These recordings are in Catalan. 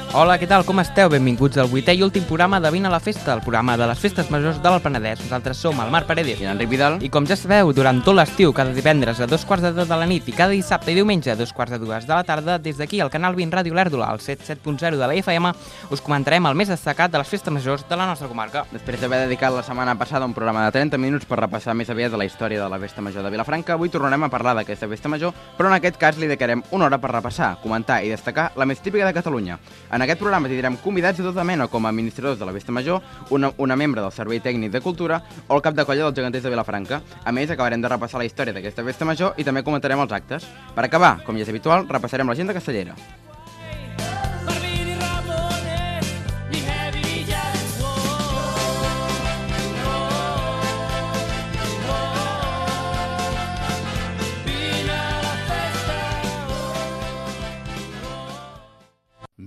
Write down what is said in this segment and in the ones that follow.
Hola, què tal? Com esteu? Benvinguts al 8è i últim programa de Vine a la Festa, el programa de les festes majors de l'Penedès. Nosaltres som el Marc Paredes i l'Enric Vidal. I com ja sabeu, durant tot l'estiu, cada divendres a 2:15 de la nit i cada dissabte i diumenge a 2:15 de la tarda, des d'aquí al canal 20 Ràdio Lèrdola, al 107.0 de la FM, us comentarem el més destacat de les festes majors de la nostra comarca. Després d'haver dedicat la setmana passada un programa de 30 minuts per repassar més aviat de la història de la festa major de Vilafranca, avui tornarem a parlar d'aquesta festa major, però en aquest cas li dedicarem una hora per repassar, comentar i destacar la més típica de Catalunya. En aquest programa tindrem convidats de tota mena com a administradors de la festa major, una membre del Servei Tècnic de Cultura o el cap de colla dels geganters de Vilafranca. A més, acabarem de repassar la història d'aquesta festa major i també comentarem els actes. Per acabar, com ja és habitual, repassarem l'agenda castellera.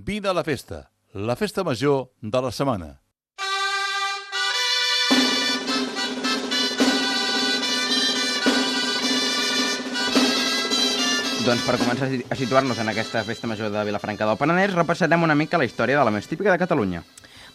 Vine a la festa major de la setmana. Doncs per començar a situar-nos en aquesta festa major de Vilafranca del Penedès, repassarem una mica la història de la més típica de Catalunya.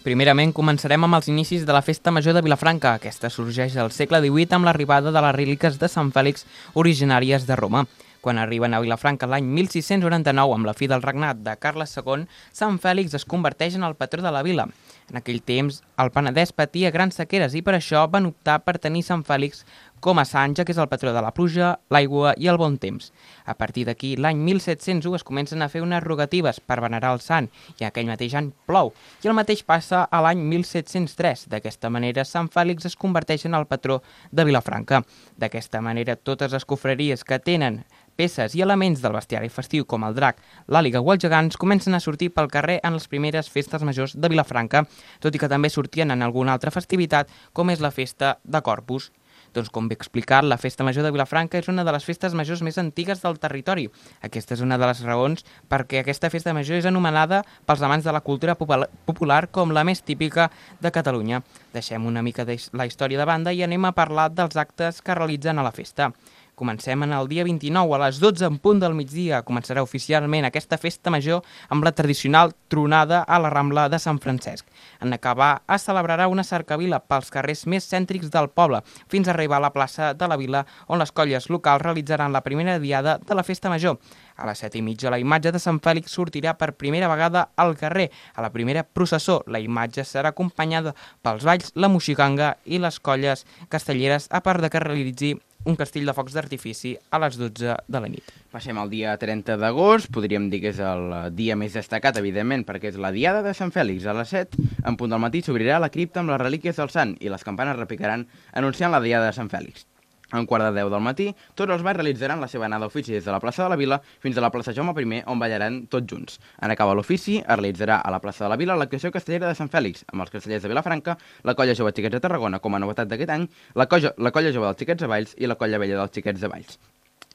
Primerament, començarem amb els inicis de la festa major de Vilafranca. Aquesta sorgeix al segle XVIII amb l'arribada de les relíquies de Sant Fèlix originàries de Roma. Quan arriben a Vilafranca l'any 1699, amb la fi del regnat de Carles II, Sant Fèlix es converteix en el patró de la vila. En aquell temps, el Penedès patia grans sequeres i per això van optar per tenir Sant Fèlix com a sant, ja que és el patró de la pluja, l'aigua i el bon temps. A partir d'aquí, l'any 1701 es comencen a fer unes rogatives per venerar el sant i aquell mateix any plou. I el mateix passa a l'any 1703. D'aquesta manera, Sant Fèlix es converteix en el patró de Vilafranca. D'aquesta manera, totes les confraries que tenen peces i elements del bestiari festiu com el drac, l'àliga o els gegants comencen a sortir pel carrer en les primeres festes majors de Vilafranca, tot i que també sortien en alguna altra festivitat com és la festa de Corpus. Doncs com bé explicat, la festa major de Vilafranca és una de les festes majors més antigues del territori. Aquesta és una de les raons perquè aquesta festa major és anomenada pels amants de la cultura popular com la més típica de Catalunya. Deixem una mica la història de banda i anem a parlar dels actes que realitzen a la festa. Comencem en el dia 29, a les 12 en punt del migdia. Començarà oficialment aquesta festa major amb la tradicional tronada a la Rambla de Sant Francesc. En acabar, es celebrarà una cercavila pels carrers més cèntrics del poble, fins a arribar a la plaça de la vila, on les colles locals realitzaran la primera diada de la festa major. A les 7:30, la imatge de Sant Fèlix sortirà per primera vegada al carrer. A la primera processó, la imatge serà acompanyada pels balls, la moixiganga i les colles castelleres, a part de que realitzi un castell de focs d'artifici a les 12 de la nit. Passem al dia 30 d'agost, podríem dir que és el dia més destacat, evidentment, perquè és la diada de Sant Fèlix. A les 7, en punt del matí, s'obrirà la cripta amb les relíquies del sant i les campanes repicaran anunciant la diada de Sant Fèlix. A un quart de 10 del matí, tots els balls realitzaran la seva anada a ofici des de la plaça de la Vila fins a la plaça Jaume I, on ballaran tots junts. En acabar l'ofici, es realitzarà a la plaça de la Vila l'actuació castellera de Sant Fèlix, amb els castellers de Vilafranca, la colla jove Xiquets de Tarragona com a novetat d'aquest any, la colla jove dels Xiquets de Valls i la colla vella dels Xiquets de Valls.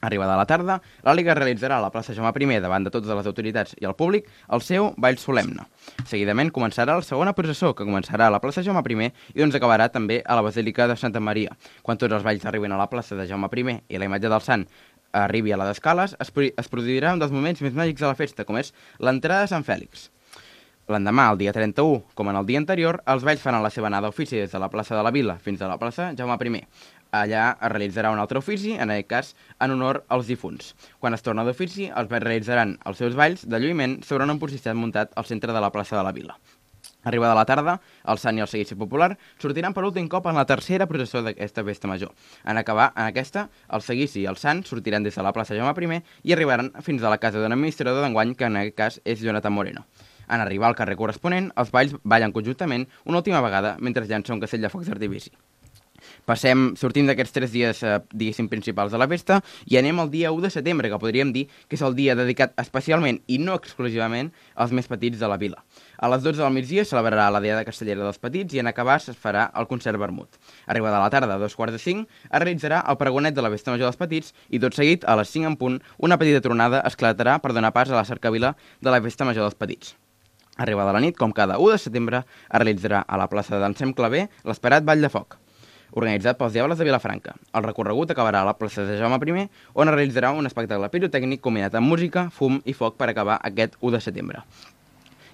Arribada la tarda, l'Àliga realitzarà a la plaça Jaume I, davant de totes les autoritats i el públic, el seu ball solemne. Seguidament començarà la segona processó, que començarà a la plaça Jaume I i doncs acabarà també a la Basílica de Santa Maria. Quan tots els balls arriben a la plaça de Jaume I i la imatge del sant arribi a la d'escales, es produirà un dels moments més màgics de la festa, com és l'entrada de Sant Fèlix. L'endemà, el dia 31, com en el dia anterior, els balls faran la seva anada a ofici des de la plaça de la Vila fins a la plaça Jaume I. Allà es realitzarà un altre ofici, en aquest cas en honor als difunts. Quan es torna d'ofici, els balls realitzaran els seus balls de lluïment sobre un empocissat muntat al centre de la plaça de la Vila. Arribada la tarda, el sant i el seguici popular sortiran per últim cop en la tercera processó d'aquesta festa major. En acabar en aquesta, el seguici i el sant sortiran des de la plaça Jaume I i arribaran fins a la casa d'un administrador d'enguany, que en aquest cas és Jonathan Moreno. En arribar al carrer corresponent, els balls ballen conjuntament una última vegada mentre llança un castell de focs d'artifici. Sortim d'aquests 3 dies, diguéssim, principals de la festa i anem al dia 1 de setembre, que podríem dir que és el dia dedicat especialment i no exclusivament als més petits de la vila. A les 12 del migdia celebrarà la diada castellera dels petits i en acabar es farà el concert vermut. Arribada a la tarda, a 4:45, es realitzarà el pregonet de la festa major dels petits i tot seguit, a les 5 en punt, una petita tronada esclatarà per donar pas a la cercavila de la festa major dels petits. Arribada la nit, com cada 1 de setembre, es realitzarà a la plaça d'Ensem Claver l'esperat Ball de Foc, organitzat pels Diables de Vilafranca. El recorregut acabarà a la plaça de Jaume I, on es realitzarà un espectacle pirotècnic combinat amb música, fum i foc per acabar aquest 1 de setembre.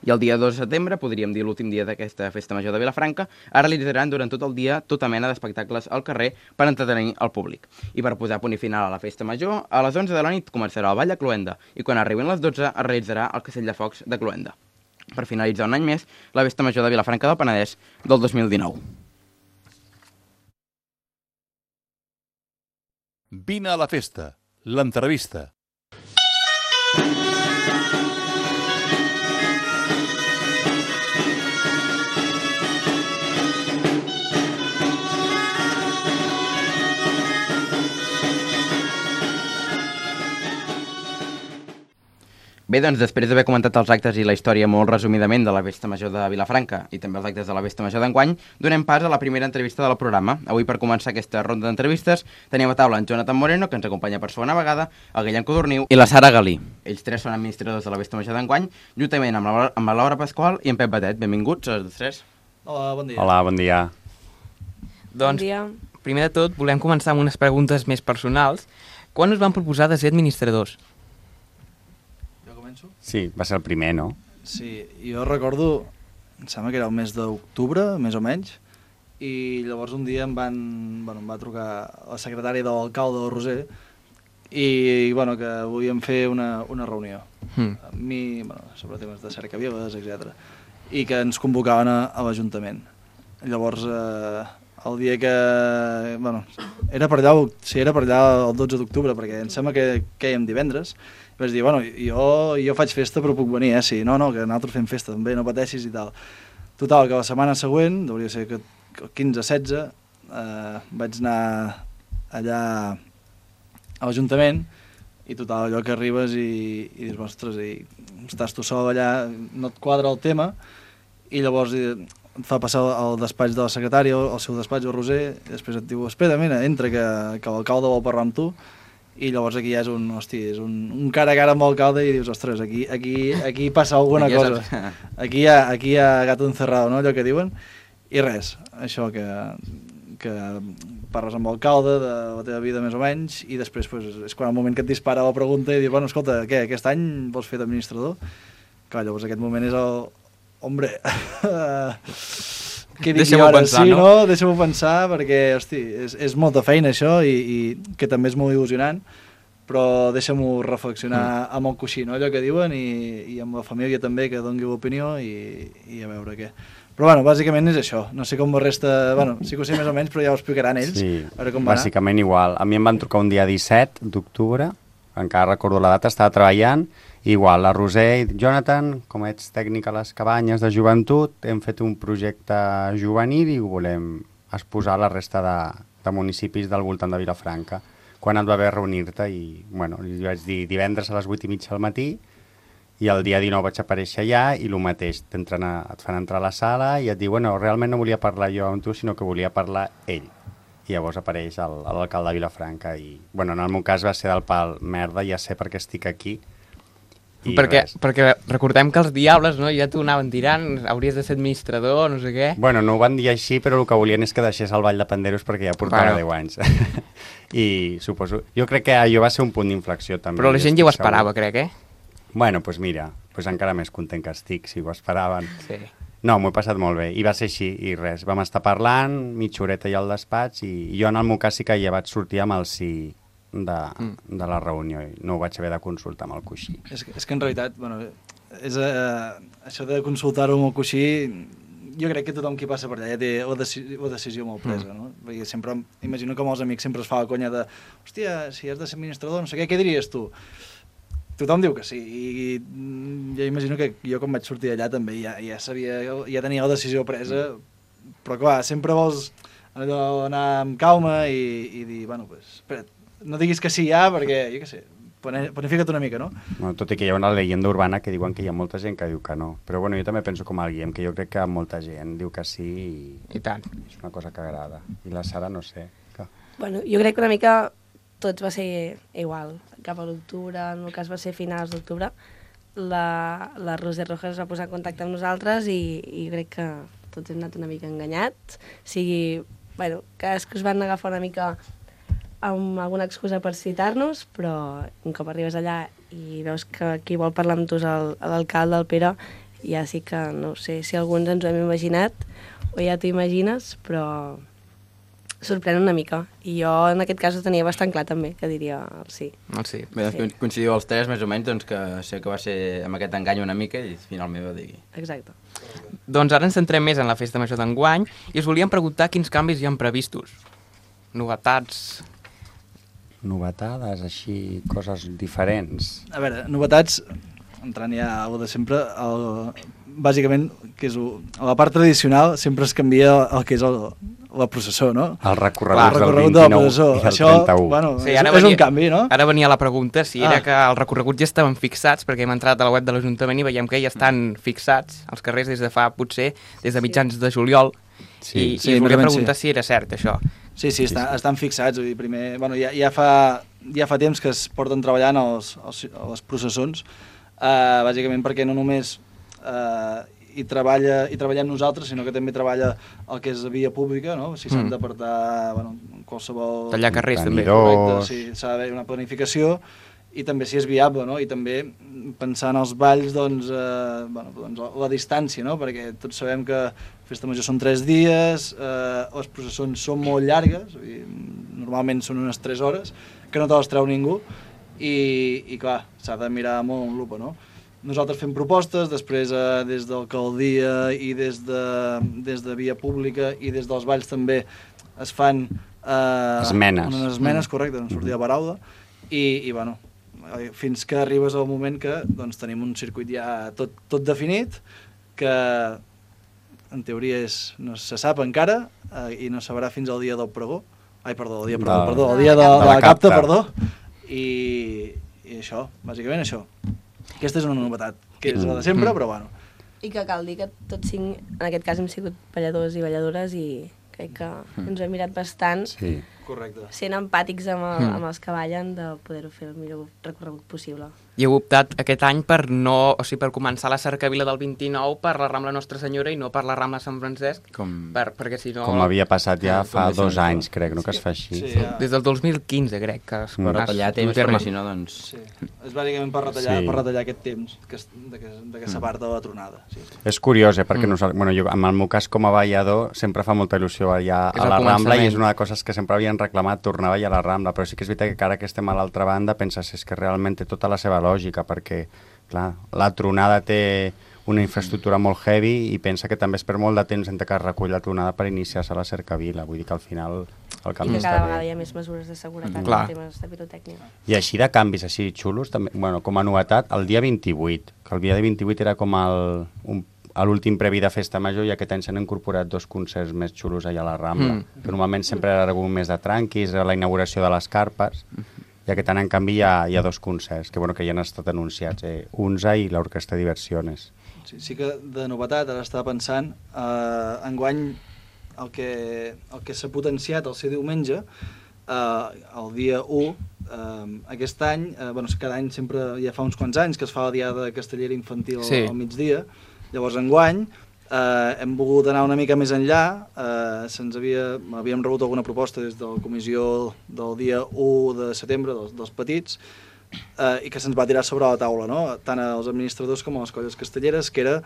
I el dia 2 de setembre, podríem dir l'últim dia d'aquesta festa major de Vilafranca, es realitzaran durant tot el dia tota mena d'espectacles al carrer per entretenir el públic. I per posar punt i final a la festa major, a les 11 de la nit començarà el ball a Cloenda i quan arribin les 12 es realitzarà el castell de focs de Cloenda. Per finalitzar un any més, la festa major de Vilafranca del Penedès del 2019. Vine a la festa, l'entrevista. Bé, doncs, després d'haver comentat els actes i la història molt resumidament de la Festa Major de Vilafranca i també els actes de la Festa Major d'enguany, donem pas a la primera entrevista del programa. Avui, per començar aquesta ronda d'entrevistes, tenim a taula en Jonathan Moreno, que ens acompanya per segona vegada, el Guillem Codorniu i la Sara Galí. Ells tres són administradors de la Festa Major d'enguany, juntament amb la Laura Pasqual i en Pep Batet. Benvinguts, els tres. Hola, bon dia. Hola, bon dia. Doncs, primer de tot, volem començar amb unes preguntes més personals. Quan us van proposar de ser administradors? Sí, va ser el primer, no? Sí, jo recordo, em sembla que era el mes d'octubre, més o menys, i llavors un dia em va trucar la secretària de l'alcalde del Roser i que volíem fer una reunió amb mi, sobre temes de cercaviles, etc. I que ens convocaven a l'Ajuntament. Llavors, el dia que... era per allà el 12 d'octubre, perquè em sembla que quèiem divendres. Vaig dir, jo faig festa però puc venir, sí, no, que nosaltres fem festa també, no pateixis i tal. Total, que la setmana següent, hauria de ser que el 15-16, vaig anar allà a l'Ajuntament i total, allò que arribes i dius, ostres, i estàs tu sol allà, no et quadra el tema, i llavors et fa passar al despatx de la secretària, al seu despatx, al Roser, i després et diu, espera, mira, entra, que l'alcalde vol parlar amb tu. I llavors aquí ja és un cara a cara amb l'alcalde i dius, ostres, aquí passa alguna cosa. Aquí hi ha gato encerrado, no?, allò que diuen. I res, això que parles amb l'alcalde de la teva vida més o menys i després és quan el moment que et dispara la pregunta i dius, escolta, què, aquest any vols fer d'administrador? Clar, llavors aquest moment és el... Hombre... Deixa'm-ho pensar, sí, no? Deixa'm-ho pensar, perquè, hosti, és molta feina això i que també és molt il·lusionant, però deixa'm-ho reflexionar amb el coixí, no? Allò que diuen, i amb la família també, que doni l'opinió i a veure què. Però, bàsicament és això. No sé com la resta... sí que ho sé més o menys, però ja ho explicaran ells. Sí, a veure com va anar. Bàsicament igual. A mi em van trucar un dia 17 d'octubre, encara recordo la data, estava treballant. Igual, la Roser i Jonathan, com ets tècnic a les cabanyes de joventut, hem fet un projecte juvenil i ho volem exposar a la resta de municipis del voltant de Vilafranca. Quan et va haver reunir-te i, li vaig dir divendres a les 8:30 del matí i el dia 19 vaig aparèixer allà i el mateix, et fan entrar a la sala i et diu, realment no volia parlar jo amb tu, sinó que volia parlar ell. I llavors apareix l'alcalde de Vilafranca i, en el meu cas va ser del pal, merda, ja sé per què estic aquí. Perquè recordem que els diables, no, ja t'ho anaven tirant, hauries de ser administrador, no sé què. No ho van dir així, però el que volien és que deixés el Ball de Panderos perquè ja portava 10 anys. I suposo... Jo crec que allò va ser un punt d'inflexió també. Però la gent ja ho esperava, crec, Mira, encara més content que estic, si ho esperaven. Sí. No, m'ho he passat molt bé, i va ser així, i res. Vam estar parlant, mitja horeta allà al despatx, i jo en el meu cas sí que ja vaig sortir amb el sí de la reunió i no ho vaig haver de consultar amb el coixí. És que en realitat, això de consultar-ho amb el coixí, jo crec que tothom qui passa per allà ja té la decisió molt presa, no? Perquè sempre, imagino que amb els amics sempre es fa la conya de hòstia, si has de ser administrador, no sé què diries tu? Tothom diu que sí, i jo imagino que jo quan vaig sortir d'allà també ja tenia la decisió presa, però clar, sempre vols anar amb calma i dir, espera't, no diguis que sí ja, perquè, jo què sé, planifica't una mica, no? Tot i que hi ha una leyenda urbana que diuen que hi ha molta gent que diu que no. Però jo també penso com el Guillem, que jo crec que molta gent diu que sí i tant. És una cosa que agrada. I la Sara, no sé. Jo crec que una mica tots va ser igual. Cap a l'octubre, en el cas va ser finals d'octubre, la Roser Rojas es va posar en contacte amb nosaltres i crec que tots hem anat una mica enganyats. Cadascú es van agafar una mica amb alguna excusa per citar-nos, però un cop arribes allà i veus que qui vol parlar amb tu és l'alcalde, el Pere, ja sí que no sé si alguns ens ho hem imaginat o ja t'ho imagines, però sorprèn una mica. I jo en aquest cas ho tenia bastant clar també, que diria el sí. El sí. Bé, doncs coincidiu els tres més o menys doncs, que sé que va ser amb aquest engany una mica i finalment va dir... Exacte. Doncs ara ens centrem més en la festa major d'enguany i us volíem preguntar quins canvis hi ha previstos. Novetats... Novetades, així, coses diferents. A veure, novetats, entrant ja a de sempre, bàsicament, que és a la part tradicional, sempre es canvia el que és la processó, no? El recorregut del recorregut de la 29 processó. i del Això, 31. bueno, Sí, és un canvi, no? Ara venia la pregunta si era que els recorreguts ja estaven fixats, perquè hem entrat a la web de l'Ajuntament i veiem que ja estan fixats als carrers des de fa, potser, des de mitjans de juliol. Sí. I us volia preguntar si era cert, això. Sí, estan fixats. Vull dir, primer, bueno, ja fa temps que es porten treballant les processons, bàsicament perquè no només hi treballem nosaltres, sinó que també treballa el que és via pública, no? Si s'han d'apartar qualsevol... Tallar carrers, també. Correcte, sí, s'ha d'haver una planificació i també si és viable, no? I també pensar en els balls, doncs, la distància, no? Perquè tots sabem que Festa Major són 3 dies, les processons són molt llargues, normalment són unes 3 hores, que no te les treu ningú, i clar, s'ha de mirar molt amb lupa, no? Nosaltres fem propostes, després des d'alcaldia i des de via pública i des dels balls també es fan esmenes. Unes esmenes, correcte, no sortia la paraula, i bueno, fins que arribes al moment que doncs, tenim un circuit ja tot definit, que en teoria no se sap encara i no sabrà fins al dia del pregó. Ai, perdó, el dia de la capta, perdó. I això, bàsicament això. Aquesta és una novetat, que és la de sempre, però bueno. I que cal dir que tots 5, en aquest cas hem sigut balladors i balladores i crec que ens ho hem mirat bastant, Correcte. sent empàtics amb els que ballen, de poder-ho fer el millor recorregut possible. I heu optat aquest any per per començar la cercavila del 29 per la Rambla Nostra Senyora i no per la Rambla Sant Francesc, perquè si no... Com havia passat ja fa 2 anys, crec, no? Que es fa així. Sí, ja. Des del 2015, crec, que es Per retallar temps, perquè si no, doncs... Sí. És bàsicament per retallar aquest temps que s'aparta la tronada. Sí. És curiós, perquè bueno, jo, en el meu cas com a ballador sempre fa molta il·lusió ballar a la Rambla i és una de les coses que sempre havien reclamat tornar a ballar a la Rambla, però sí que és veritat que ara que estem a l'altra banda penses que realment té tota la seva lògica, perquè clar, la tronada té una infraestructura molt heavy i pensa que també es perd molt de temps entre que es recull la tronada per iniciar-se a la cercavila, vull dir que al final el canvi I que cada vegada hi ha més mesures de seguretat en temes de pirotècnia. I així de canvis així xulos, també, bueno, com a novetat, el dia 28, que el dia 28 era com l'últim previ de Festa Major i aquest any s'han incorporat 2 concerts més xulos allà a la Rambla, que normalment sempre era algun més de tranquis, la inauguració de les carpes, i aquest any en canvi hi ha 2 concerts, que ja han estat anunciats, Unza i l'Orquestra Diversiones. Sí que de novetat, ara estava pensant, enguany el que s'ha potenciat el ser diumenge, el dia 1, aquest any, cada any sempre, ja fa uns quants anys, que es fa la diada castellera infantil al migdia, llavors enguany hem volgut anar una mica més enllà, havíem rebut alguna proposta des de la comissió del dia 1 de setembre, dels petits, i que se'ns va tirar sobre la taula, no? Tant als administradors com a les colles castelleres, que era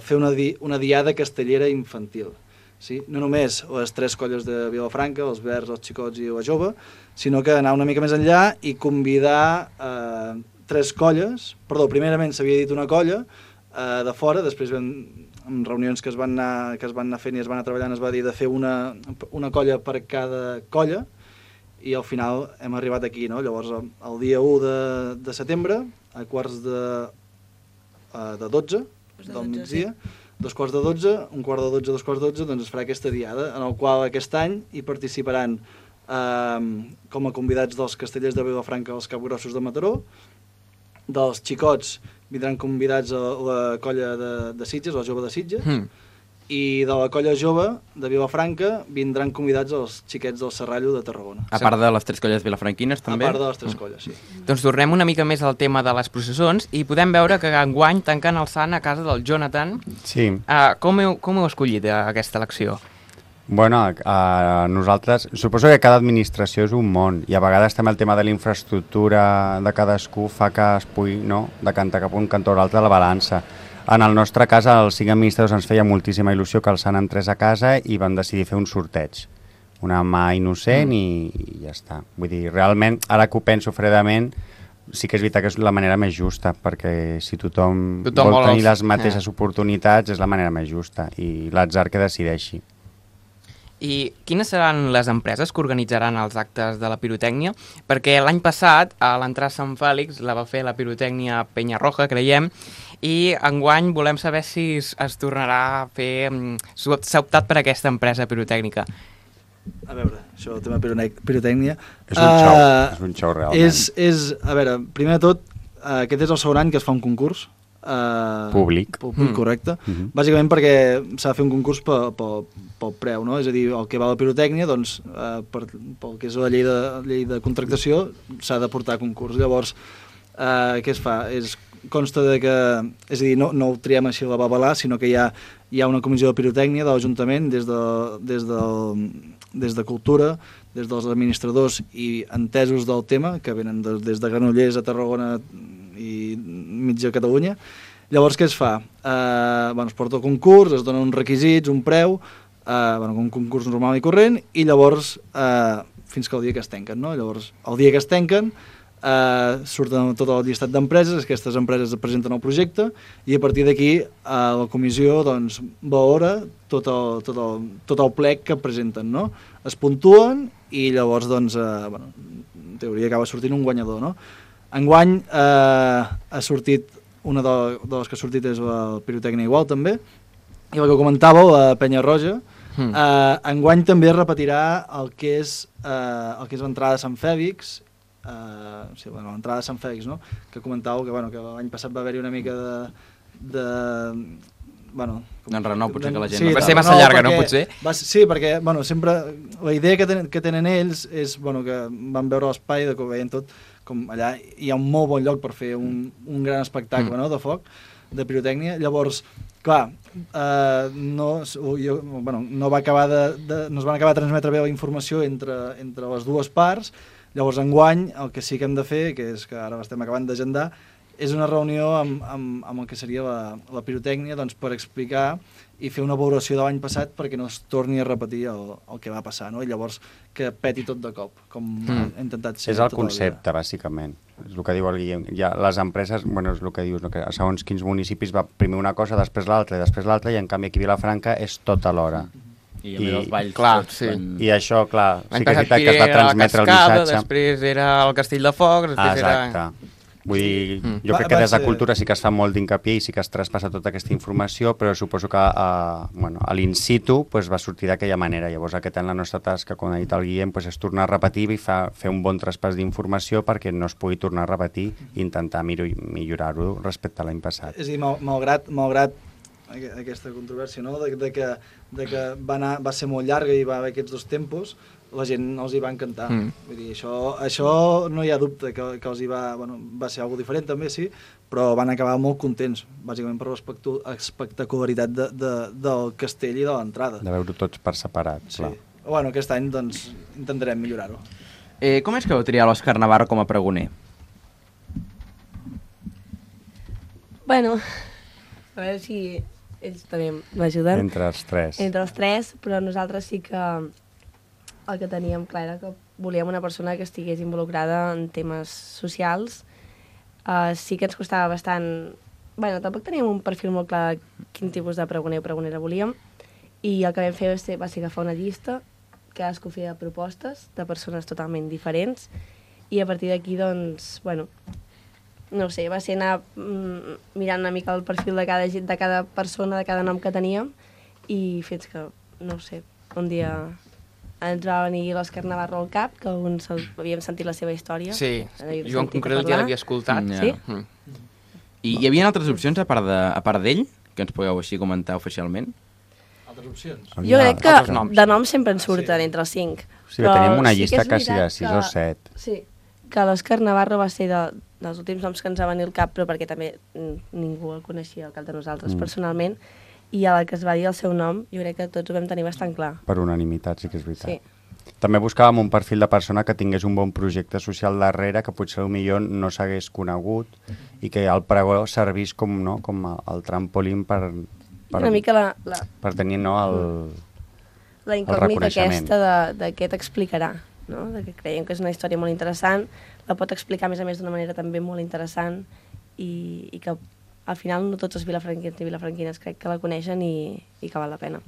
fer una diada castellera infantil. Sí? No només les 3 colles de Vilafranca, els Verds, els Xicots i la Jove, sinó que anar una mica més enllà i convidar 3 colles, primerament s'havia dit una colla de fora, després en reunions que es van anar fent i es van anar treballant es va dir de fer una colla per cada colla i al final hem arribat aquí, no? Llavors el dia 1 de setembre a quarts de 12 del migdia, 2:45, 1:45, 2:45, doncs es farà aquesta diada en el qual aquest any hi participaran com a convidats dels castellers de Vilafranca els Capgrossos de Mataró, dels Xicots vindran convidats a la colla de Sitges, la Jove de Sitges, i de la colla jove de Vilafranca vindran convidats els xiquets del Serrallo de Tarragona. A part de les 3 colles vilafranquines, també? A part de les 3 colles, sí. Doncs tornem una mica més al tema de les processons i podem veure que enguany tanquen el sant a casa del Jonathan. Sí. Com heu escollit aquesta elecció? Bueno, nosaltres, suposo que cada administració és un món i a vegades també el tema de la infraestructura de cadascú fa que es pugui decantar cap a un cantó o l'altre de la balança. En el nostre cas, als 5 administradors ens feia moltíssima il·lusió que el Sant entrés a casa i vam decidir fer un sorteig. Una mà innocent i ja està. Vull dir, realment, ara que ho penso fredament, sí que és veritat que és la manera més justa, perquè si tothom vol tenir les mateixes oportunitats és la manera més justa i l'atzar que decideixi. I quines seran les empreses que organitzaran els actes de la pirotècnia? Perquè l'any passat, a l'entrada a Sant Fèlix, la va fer la pirotècnia Penyarroja, creiem, i enguany volem saber si es tornarà a fer... S'ha optat per aquesta empresa pirotècnica. A veure, això del tema pirotècnia... És un xou realment. A veure, primer de tot, aquest és el segon any que es fa un concurs. Públic. Correcte. Bàsicament perquè s'ha de fer un concurs pel preu, no? És a dir, el que va a la pirotècnia, doncs, pel que és la llei de contractació, s'ha de portar a concurs. Llavors, què es fa? Consta de que, és a dir, no ho triem així a la babalà, sinó que hi ha una comissió de pirotècnia de l'Ajuntament des de Cultura, des dels administradors i entesos del tema, que venen des de Granollers a Tarragona i mitja Catalunya. Llavors, què es fa? Es porta el concurs, es donen uns requisits, un preu, un concurs normal i corrent, i llavors, fins que el dia que es tanquen, no? Llavors, el dia que es tanquen, surten tot el llistat d'empreses, aquestes empreses presenten el projecte i a partir d'aquí la comissió doncs, valora tot el plec que presenten, no? Es puntuen i llavors doncs, en teoria acaba sortint un guanyador, no? Enguany ha sortit, una de les que ha sortit és la pirotècnia igual també, i la que comentàveu, la Penyarroja. Enguany també es repetirà el que és l'entrada de Sant Fèlix, l'entrada de Sant Fèlix, no? Que comentàveu que l'any passat va haver-hi una mica d'enrenou, potser que la gent... Sí, va ser massa llarga, no? Potser? Sí, perquè sempre la idea que tenen ells és que van veure l'espai, que ho veien tot, com allà hi ha un molt bon lloc per fer un gran espectacle, no?, de foc, de pirotècnia. Llavors, clar, no es van acabar de transmetre bé la informació entre les dues parts. Llavors, enguany, el que sí que hem de fer, que és que ara l'estem acabant d'agendar, és una reunió amb el que seria la pirotècnia, doncs, per explicar i fer una valoració de l'any passat perquè no es torni a repetir el que va passar, no? I llavors que peti tot de cop, com ha intentat ser. És el concepte, bàsicament. És el que diu el Guillem. Les empreses, és el que dius, no? Que segons quins municipis va primer una cosa, després l'altra, i en canvi aquí a Vilafranca és tot alhora. I a més els balls... Clar, sí. I això, clar, sí que és veritat que es va transmetre el missatge. Després era el Castell de Foc, després era... Vull dir, jo crec que des de Cultura sí que es fa molt d'incapié i sí que es traspassa tota aquesta informació, però suposo que a l'in situ va sortir d'aquella manera. Llavors aquest any la nostra tasca, com ha dit el Guillem, és tornar a repetir i fer un bon traspàs d'informació perquè no es pugui tornar a repetir i intentar millorar-ho respecte a l'any passat. És a dir, malgrat aquesta controvèrsia, no? de que va ser molt llarga i va haver aquests dos tempos, la gent els hi va encantar. Vull dir, això no hi ha dubte que els hi va ser alguna diferent també, sí, però van acabar molt contents, bàsicament per l'espectacularitat del castell i de l'entrada. De veure tots per separat, clar. Bueno, aquest any doncs intentarem millorar-ho. Com és que vau triar l'Òscar Navarro com a pregoner? Bueno, a veure si ells també m'ajuden. Entre els tres, però nosaltres sí que el que teníem clar era que volíem una persona que estigués involucrada en temes socials. Sí que ens costava bastant... tampoc teníem un perfil molt clar de quin tipus de pregoner o pregonera volíem, i el que vam fer va ser agafar una llista, cadascú feia propostes de persones totalment diferents, i a partir d'aquí, doncs, no sé, va ser anar mirant una mica el perfil de cada persona, de cada nom que teníem, i fins que, no sé, un dia ens va venir l'Òscar Navarro al cap, que alguns havíem sentit la seva història. Sí, jo en concret ja l'havia escoltat. Sí? I hi havia altres opcions a part d'ell, que ens podeu així comentar oficialment? Altres opcions? Jo crec que de noms sempre en surten entre els 5. Sí, tenim una llista quasi de 6 o 7. Sí, que l'Òscar Navarro va ser dels últims noms que ens va venir al cap, però perquè també ningú el coneixia al cap de nosaltres personalment, i a la que es va dir el seu nom, jo crec que tots ho vam tenir bastant clar. Per unanimitat, sí que és veritat. Sí. també buscàvem un perfil de persona que tingués un bon projecte social darrere, que potser millor no s'hagués conegut i que el pregó servís com, no, com el trampolín per Una mica per tenir no, la incògnita aquesta de què t'explicarà, no? De que creiem que és una història molt interessant, la pot explicar a més d'una manera també molt interessant i que al final no tots els vilafranquins i vilafranquines crec que la coneixen i que val la pena.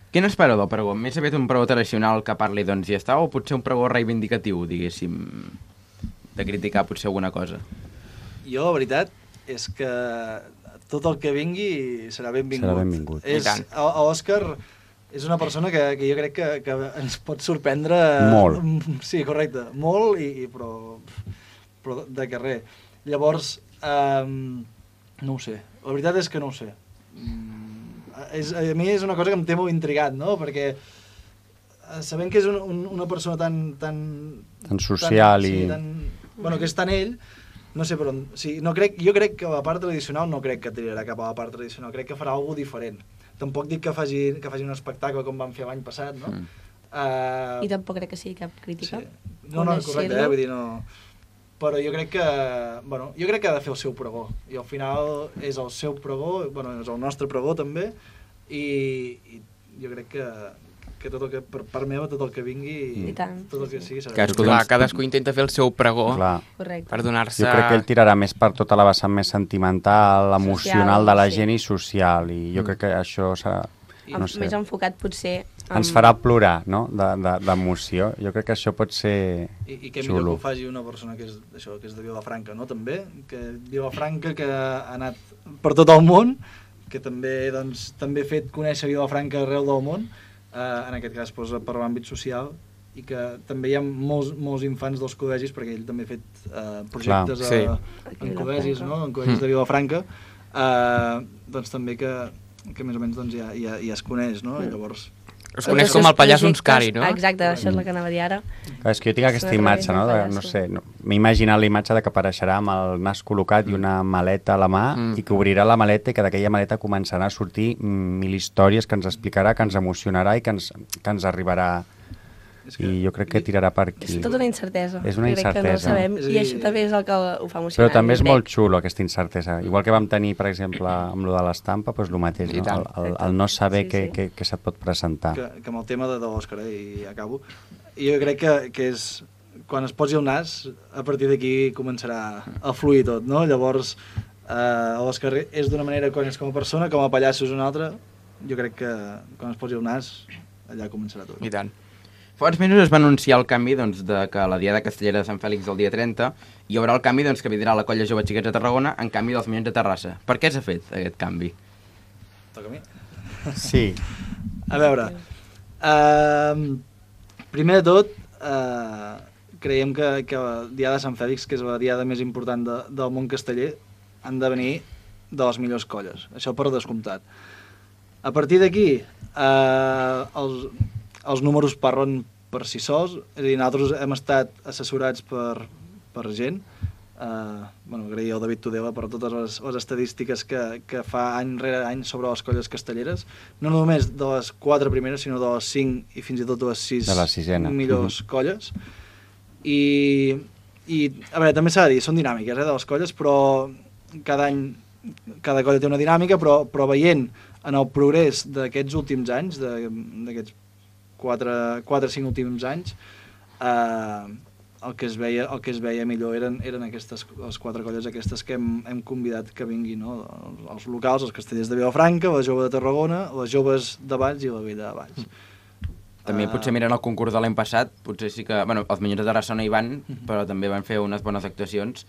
Què n'espera del pregó? Més aviat un pregó tradicional que parli doncs ja està, o potser un pregó reivindicatiu, diguéssim, de criticar potser alguna cosa? Jo, la veritat, és que tot el que vingui serà benvingut. Serà benvingut. Òscar és una persona que jo crec que ens pot sorprendre... Molt. Sí, correcte, molt, però de carrer. Llavors, no ho sé, la veritat és que no ho sé. A mi és una cosa que em té molt intrigat, no? Perquè sabent que és una persona tan social bueno, que és tan ell, no sé per on... Sí, jo crec que la part tradicional no crec que tirarà cap a la part tradicional, crec que farà alguna diferent. Tampoc dic que faci un espectacle com van fer l'any passat, no? I tampoc crec que sigui cap crítica. Sí. No, correcte, vull dir, no... Però jo crec que ha de fer el seu pregó, i al final és el seu pregó, bueno, és el nostre pregó també, i jo crec que tot el que, per part meva, tot el que vingui, tot el que sigui serà... Cadascú intenta fer el seu pregó per donar-se... Jo crec que ell tirarà més per tota la vessant més sentimental, emocional de la gent i social, i jo crec que això serà... No sé, més enfocat potser... Ens farà plorar, no?, d'emoció. Jo crec que això pot ser I que millor que ho faci una persona que és de Vilafranca, no?, també. Que Vilafranca, que ha anat per tot el món, que també ha fet conèixer Vilafranca arreu del món, en aquest cas per l'àmbit social, i que també hi ha molts infants dels col·legis, perquè ell també ha fet projectes en col·legis, no?, en col·legis de Vilafranca, doncs també que més o menys ja es coneix, no? I llavors... Es coneix com el pallasso Unscari, no? Exacte, això és el que anava a dir ara. És que jo tinc aquesta imatge, no? No sé, m'he imaginat la imatge de que apareixerà amb el nas col·locat i una maleta a la mà i que obrirà la maleta i que d'aquella maleta començarà a sortir 1000 històries que ens explicarà, que ens emocionarà i que ens arribarà... I jo crec que tirarà per aquí. És tota una incertesa. És una incertesa. Crec que no sabem, i això també és el que ho fa emocionant. Però també és molt xulo, aquesta incertesa. Igual que vam tenir, per exemple, amb lo de l'estampa, doncs el mateix, no? El no saber què se't pot presentar. Que amb el tema de l'Òscar, i acabo, jo crec que és... Quan es posi el nas, a partir d'aquí començarà a fluir tot, no? Llavors, l'Òscar és d'una manera quan és com a persona, com a pallasso és una altra. Jo crec que quan es posi el nas, allà començarà tot. I tant. Fa uns mesos es va anunciar el canvi de que la Diada Castellera de Sant Fèlix el dia 30 hi haurà el canvi que vindrà la Colla Jove Xiquets de Tarragona en canvi dels Minyons de Terrassa. Per què s'ha fet aquest canvi? Toca a mi? Sí. A veure, primer de tot, creiem que la Diada de Sant Fèlix, que és la diada més important del món casteller, han de venir de les millors colles, això per descomptat. A partir d'aquí, els números parlen per si sols, és a dir, nosaltres hem estat assessorats per gent, agrair al David Tudela per totes les estadístiques que fa any rere any sobre les colles castelleres, no només de les 4 primeres, sinó de les 5 i fins i tot de les 6 millors colles. I a veure, també s'ha de dir, són dinàmiques de les colles, però cada any cada colla té una dinàmica, però veient en el progrés d'aquests últims anys, d'aquests 4-5 últims anys, el que es veia millor eren les 4 colles aquestes que hem convidat que vinguin, no? Els locals, els castellers de Vilafranca, la Jove de Tarragona, les Joves de Valls i la Vella de Valls. També potser mirant el concurs de l'any passat, potser sí que... Bueno, els Minyons de Terrassa no hi van, però també van fer unes bones actuacions.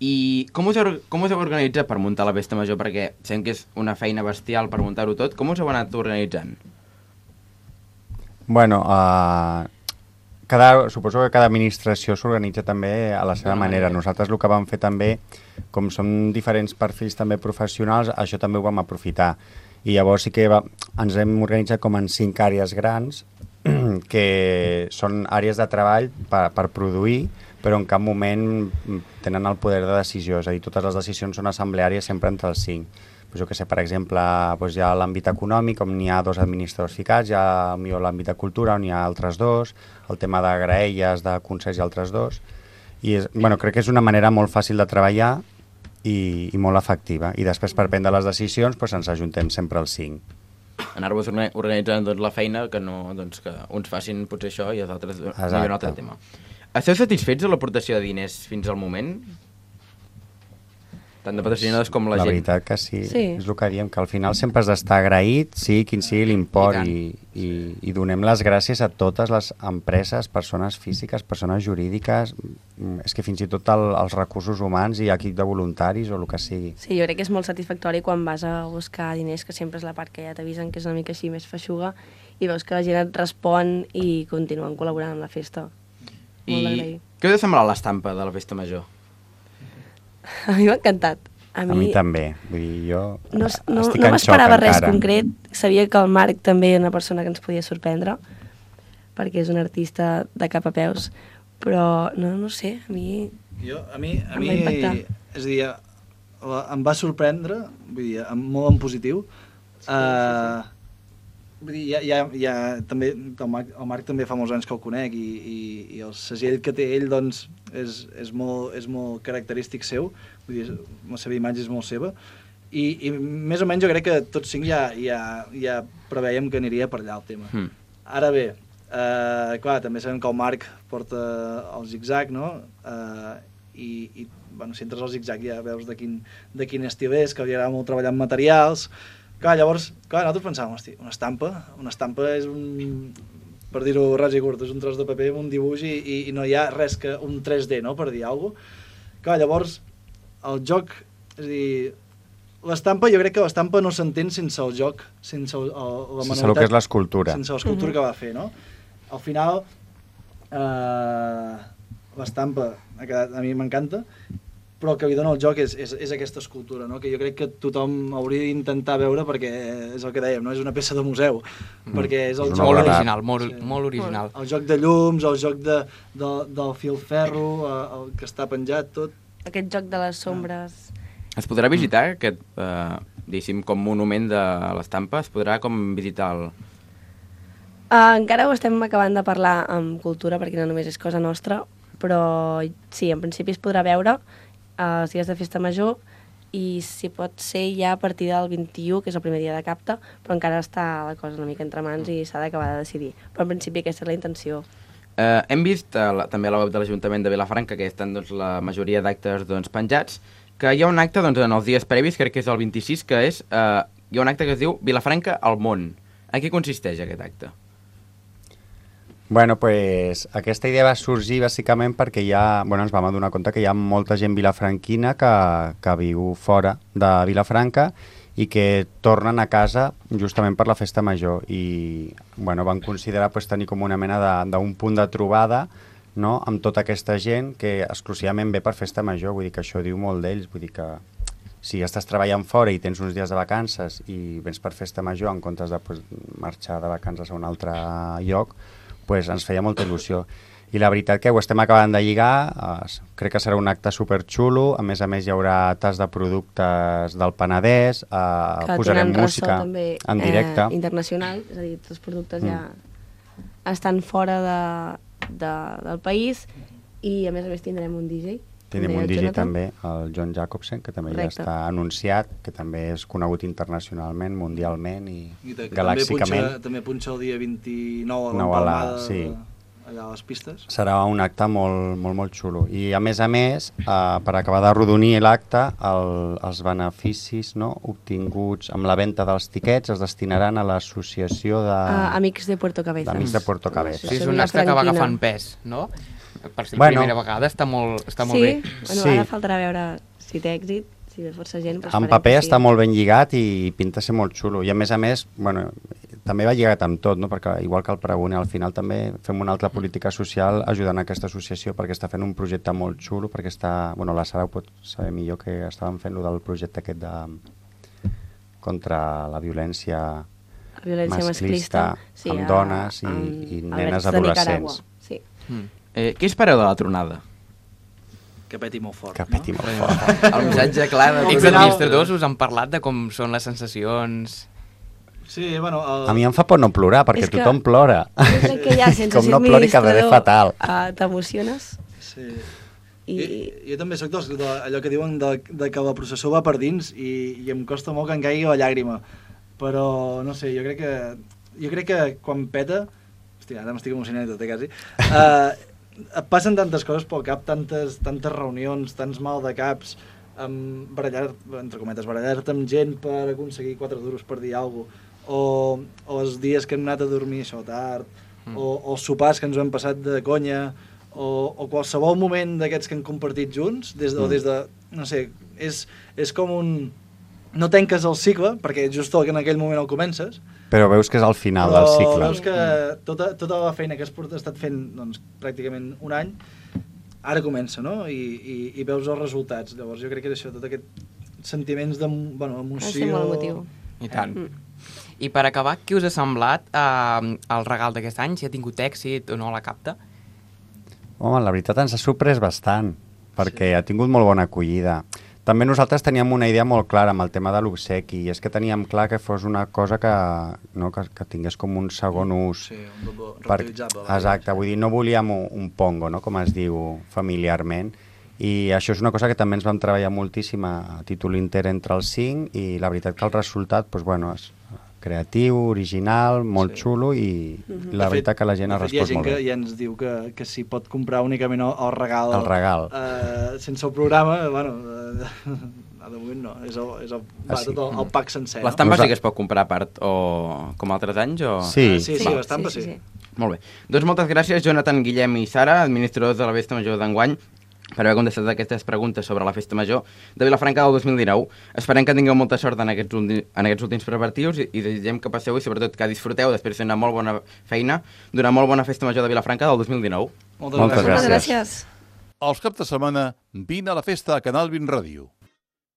I com us heu organitzat per muntar la Festa Major? Perquè sabem que és una feina bestial per muntar-ho tot. Com us heu anat organitzant? Bueno, suposo que cada administració s'organitza també a la seva manera. Nosaltres el que vam fer també, com som diferents perfils també professionals, això també ho vam aprofitar. I llavors sí que ens hem organitzat com en 5 àrees grans, que són àrees de treball per produir, però en cap moment tenen el poder de decisió, és a dir, totes les decisions són assembleàries sempre entre els 5. jo que sé, per exemple, doncs hi ha l'àmbit econòmic, on n'hi ha 2 administradors ficats, hi ha millor l'àmbit de cultura, on hi ha altres 2, el tema de graelles, de concerts i altres 2, i crec que és una manera molt fàcil de treballar i molt efectiva, i després per prendre les decisions ens ajuntem sempre els 5. Anar-vos organitzant la feina, que uns facin potser això i els altres un altre tema. Esteu satisfets de l'aportació de diners fins al moment? Tant de patrocinadors com la gent. La veritat que sí, és el que diem, que al final sempre has d'estar agraït, sigui quin sigui l'import, i donem les gràcies a totes les empreses, persones físiques, persones jurídiques, és que fins i tot els recursos humans i equip de voluntaris o el que sigui. Sí, jo crec que és molt satisfactori quan vas a buscar diners, que sempre és la part que ja t'avisen, que és una mica així més feixuga, i veus que la gent et respon i continuen col·laborant amb la festa. Molt d'agrair. Què us ha semblat l'estampa de la festa major? A mi m'ha encantat. A mi també. Vull dir, jo no estic en xoc m'esperava res encara. concret. Sabia que el Marc també era una persona que ens podia sorprendre, perquè és un artista de cap a peus, però no sé, a mi em va impactar. És a dir, em va sorprendre, vull dir, molt en positiu. Vull dir, també, el Marc també fa molts anys que el conec i el segell que té ell doncs, és molt característic seu, vull dir, la seva imatge és molt seva, i més o menys jo crec que tots 5 ja preveiem que aniria per allà el tema. Ara bé, clar, també sabem que el Marc porta el zig-zag, no? I si entres al zig-zag ja veus de quin estil és, que li agrada molt treballar amb materials. Clar, llavors, nosaltres pensàvem, hosti, una estampa és per dir-ho ras i curt, és un tros de paper amb un dibuix i no hi ha res que un 3D, no?, per dir alguna cosa. Clar, llavors, el joc, és a dir, l'estampa, jo crec que l'estampa no s'entén sense el joc, sense la manualitat. Sense el que és l'escultura. Sense l'escultura que va fer, no? Al final, l'estampa a mi m'encanta, però el que li dona el joc és aquesta escultura, no? Que jo crec que tothom hauria d'intentar veure, perquè és el que dèiem, no? És una peça de museu, perquè és el joc... Molt original, molt original. El joc de llums, el joc del filferro, el que està penjat, tot. Aquest joc de les sombres... Es podrà visitar aquest, diguéssim, com monument de l'estampa? Es podrà com visitar el... Encara ho estem acabant de parlar amb cultura, perquè no només és cosa nostra, però sí, en principi es podrà veure els dies de festa major i si pot ser ja a partir del 21, que és el primer dia de capta, però encara està la cosa una mica entre mans i s'ha d'acabar de decidir. Però en principi aquesta és la intenció. Hem vist també a la web de l'Ajuntament de Vilafranca, que estan la majoria d'actes penjats, que hi ha un acte en els dies previs, crec que és el 26, que és, hi ha un acte que es diu Vilafranca al món. En què consisteix aquest acte? Bueno, pues aquesta idea va sorgir bàsicament perquè ens vam adonar compte que hi ha molta gent vilafranquina que viu fora de Vilafranca i que tornen a casa justament per la festa major i van considerar tenir com una mena d'un punt de trobada, no?, amb tota aquesta gent que exclusivament ve per festa major. Vull dir que això diu molt d'ells, vull dir que si estàs treballant fora i tens uns dies de vacances i vens per festa major en comptes de marxar de vacances a un altre lloc, ens feia molta il·lusió. I la veritat que ho estem acabant de lligar, crec que serà un acte superxulo, a més hi haurà tas de productes del Penedès, posarem música en directe. Internacional, és a dir, els productes ja estan fora del país i a més tindrem un DJ. Tenim un DJ també, el John Jacobsen, que també ja està anunciat, que també és conegut internacionalment, mundialment i galàxicament. També punxa el dia 29 a l'Empalmada, allà a les pistes. Serà un acte molt xulo. I a més, per acabar de rodonir l'acte, els beneficis obtinguts amb la venda dels tiquets es destinaran a l'associació de... Amics de Puerto Cabezas. D'Amics de Puerto Cabezas. Sí, és un acte que va agafant pes, no? Per ser la primera vegada està molt bé. Sí, ara faltarà veure si té èxit, si ve força gent. En paper està molt ben lligat i pinta ser molt xulo. I a més, també va lligat amb tot, no? Perquè igual que el Pregone, al final també fem una altra política social ajudant a aquesta associació perquè està fent un projecte molt xulo, perquè la Sara ho pot saber millor, que estàvem fent del projecte aquest contra la violència masclista amb dones i nenes adolescents. Sí. Què espereu de la tronada? que peti molt fort. Que peti molt fort. El missatge clar de... Els administradors us han parlat de com són les sensacions... Sí, bueno... A mi em fa por no plorar, perquè tothom plora. Jo crec que ja, sense Com ser no plori quedaré fatal. T'emociones. Sí. Jo també soc allò que diuen de que la processó va per dins i em costa molt que em caigui la llàgrima. Però, no sé, jo crec que quan peta... Hòstia, ara m'estic emocionant i tot, quasi. Passen tantes coses pel cap, tantes reunions, tants mal de caps, entre cometes, barallar-te amb gent per aconseguir 4 duros per dir alguna cosa, o els dies que hem anat a dormir això tard, o els sopars que ens ho hem passat de conya, o qualsevol moment d'aquests que hem compartit junts, des de no sé, és com un... No tanques el cicle, perquè just en aquell moment el comences, però veus que és al final del cicle. Però veus que tota la feina que has estat fent doncs, pràcticament un any, ara comença, no? I veus els resultats. Llavors jo crec que és això, tot aquest sentiments d'emoció... Ha de ser molt emotiu. I tant. I per acabar, què us ha semblat el regal d'aquest any? Si ha tingut èxit o no la capta? Home, la veritat ens ha sorprès bastant, perquè ha tingut molt bona acollida. També nosaltres teníem una idea molt clara amb el tema de l'obsequi, i és que teníem clar que fos una cosa que tingués com un segon ús. Sí, un reutilitzable. Exacte, vull dir, no volíem un pongo, no?, com es diu familiarment, i això és una cosa que també ens vam treballar moltíssim a títol inter entre els 5, i la veritat que el resultat, doncs, bueno, és creatiu, original, molt xulo, i la veritat que la gent ha respost molt bé. Hi ha gent que ja ens diu que s'hi pot comprar únicament el regal. El regal. Sense el programa, bueno, de moment no, és tot el pack sencer. L'estampa sí que es pot comprar a part, o com altres anys? O... Sí, l'estampa sí. Molt bé. Doncs moltes gràcies, Jonathan, Guillem i Sara, administradors de la Festa Major d'enguany, per haver contestat aquestes preguntes sobre la Festa Major de Vilafranca del 2019. Esperem que tingueu molta sort en aquests últims preparatius i desitgem que passeu i sobretot que disfruteu després de fer una molt bona feina d'una molt bona Festa Major de Vilafranca del 2019. Moltes gràcies. Els caps de setmana, vine a la festa a Canal 20 Ràdio.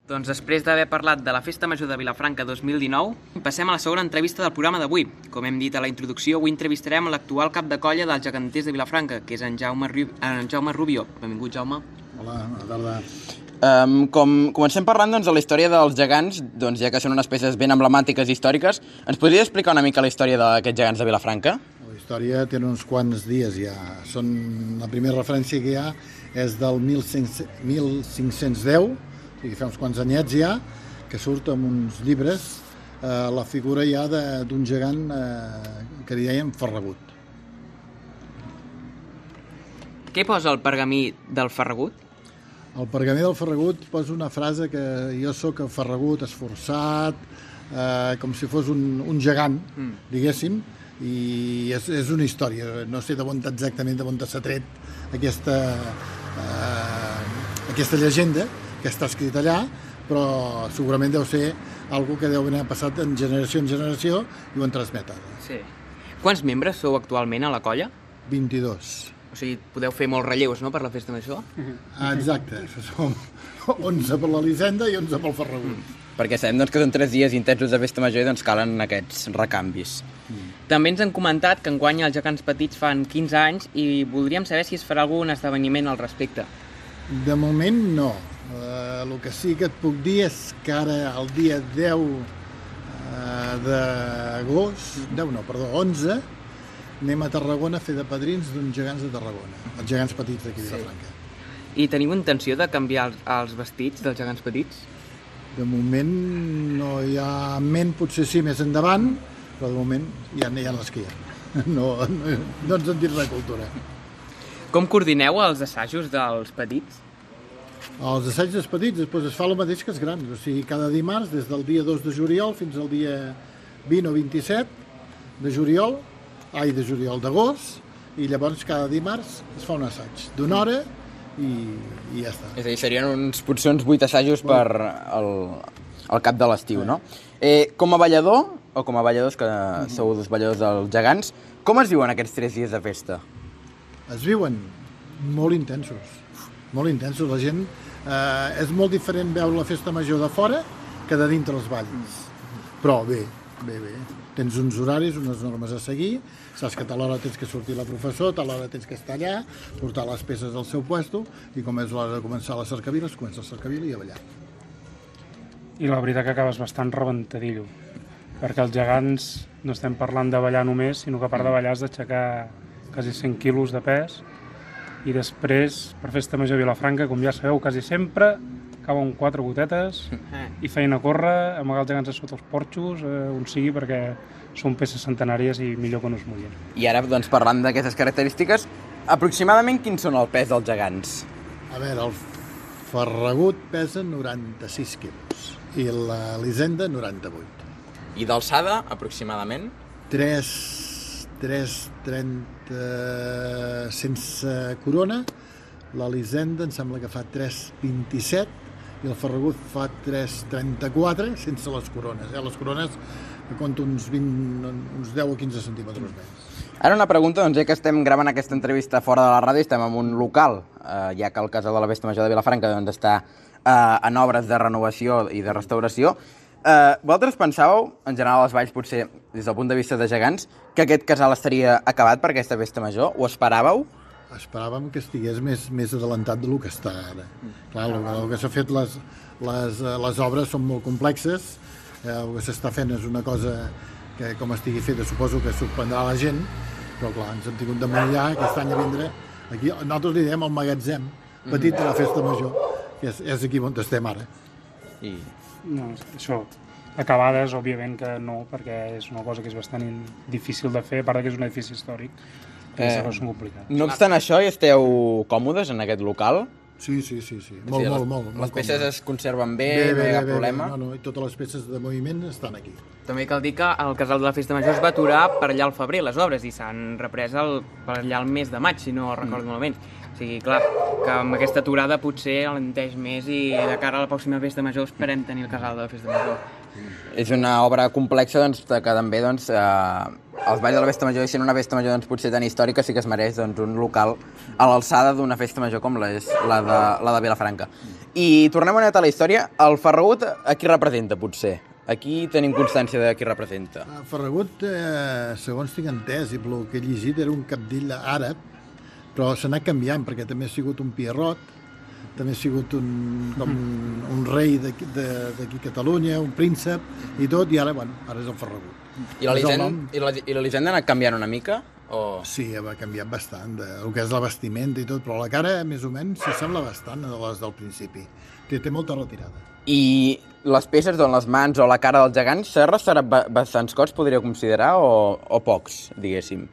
Doncs després d'haver parlat de la Festa Major de Vilafranca 2019, passem a la segona entrevista del programa d'avui. Com hem dit a la introducció, avui entrevistarem l'actual cap de colla dels geganters de Vilafranca, que és en Jaume Rubio. Benvingut, Jaume. Hola, bona tarda. Comencem parlant doncs, de la història dels gegants, doncs, ja que són unes peces ben emblemàtiques i històriques. Ens podria explicar una mica la història d'aquests gegants de Vilafranca? La història té uns quants dies ja. La primera referència que hi ha és del 1510, i fa uns quants anyets ja, que surt amb uns llibres la figura ja d'un gegant que li deien Ferragut. Què posa el pergamí del Ferragut? El pergamí del Ferragut posa una frase que jo sóc el Ferragut esforçat, com si fos un gegant, diguéssim, i és una història. No sé exactament d'on s'ha tret aquesta llegenda, que està escrit allà, però segurament deu ser algo que deu haver passat en generació i ho han transmet ara. Sí. Quants membres sou actualment a la colla? 22. O sigui, podeu fer molts relleus, no?, per la Festa Major? Exacte. Som 11 per l'Elisenda i 11 pel Ferragut. Perquè sabem doncs, que són 3 dies intensos de Festa Major i doncs calen aquests recanvis. També ens han comentat que enguany els gegants petits fan 15 anys i voldríem saber si es farà algun esdeveniment al respecte. De moment no. El que sí que et puc dir és que ara el dia 10 d'agost, 11, anem a Tarragona a fer de padrins d'uns gegants de Tarragona, els gegants petits d'aquí de Vilafranca. I teniu intenció de canviar els vestits dels gegants petits? De moment no hi ha en ment, potser sí més endavant, però de moment ja les que hi ha. No ens en dir res cultura. Com coordineu els assajos dels petits? Els assajos dels petits després es fa el mateix que els grans, o sigui, cada dimarts, des del dia 2 de juliol fins al dia 20 o 27 de juliol d'agost, i llavors cada dimarts es fa un assaig d'una hora i ja està. És a dir, serien potser uns 8 assajos per al cap de l'estiu, no? Com a ballador, o com a balladors, que sou dos balladors dels gegants, com es viuen aquests 3 dies de festa? Es viuen molt intensos. Molt intensos. La gent... és molt diferent veure la Festa Major de fora que de dintre els balls. Però bé, bé. Tens uns horaris, unes normes a seguir, saps que a tal hora tens que sortir la professor, a tal hora tens que estar allà, portar les peces al seu puesto, i com és l'hora de començar la cercavila, es comença la cercavila i a ballar. I la veritat que acabes bastant rebentadillo, perquè els gegants no estem parlant de ballar només, sinó que a part de ballar has d'aixecar quasi 100 quilos de pes, i després, per Festa Major a Vilafranca, com ja sabeu, quasi sempre cauen 4 gotetes i feina a córrer, amagar els gegants a sota els porxos, on sigui, perquè són peces centenàries i millor que no es mullin. I ara, doncs, parlant d'aquestes característiques, aproximadament quins són el pes dels gegants? A veure, el Ferragut pesa 96 quilos i l'Elisenda 98. I d'alçada, aproximadament? 3,30 sense corona, l'Elisenda em sembla que fa 3,27 i el Ferragut fa 3,34 sense les corones. Les corones compto uns 10 o 15 centímetres més. Ara una pregunta, doncs, ja que estem gravant aquesta entrevista fora de la ràdio, estem en un local, ja que el Casal de la Festa Major de Vilafranca doncs, està en obres de renovació i de restauració. Vosaltres pensàveu, en general als Valls, potser des del punt de vista de gegants, que aquest casal estaria acabat per aquesta Festa Major? Ho esperàveu? Esperàvem que estigués més adelantat del que està ara. Clar, el que s'ha fet, les obres són molt complexes, el que s'està fent és una cosa que, com estigui feta, suposo que sorprendrà la gent, però clar, ens hem tingut de mullar aquest any a vindre. Aquí, nosaltres li diem el magatzem petit de la Festa Major, que és aquí on estem ara. No, això, acabades, òbviament que no, perquè és una cosa que és bastant difícil de fer, a part que és un edifici històric. Són complicats. No obstant això, hi esteu còmodes en aquest local? Sí. Molt. Les peces es conserven bé, no hi ha cap problema? No, i totes les peces de moviment estan aquí. També cal dir que el Casal de la Festa Major es va aturar per allà al febrer, les obres, i s'han reprès per allà al mes de maig, si no recordo malament. O sigui, clar, que amb aquesta aturada potser alenteix més i de cara a la pròxima Festa Major esperem tenir el Casal de la Festa Major. És una obra complexa doncs, que també els Valls de la Festa Major, i sent una Festa Major doncs, potser tan històrica, sí que es mereix doncs, un local a l'alçada d'una Festa Major com és la de Vilafranca. I tornem una mica a la història. El Ferragut, a qui representa, potser? Aquí tenim constància de qui representa. El Ferragut, segons tinc entès i pel que he llegit, era un cabdill àrab, però s'ha anat canviant, perquè també ha sigut un pierrot, també ha sigut un rei d'aquí a Catalunya, un príncep i tot, i ara és el Ferragut. I l'Elisenda ha anat canviant una mica? Sí, ha canviat bastant, el que és la vestimenta i tot, però la cara, més o menys, s'assembla bastant a les del principi. Té molta retirada. I les peces, doncs, les mans o la cara dels gegants, s'ha restaurat bastants cops, podria considerar, o pocs, diguéssim?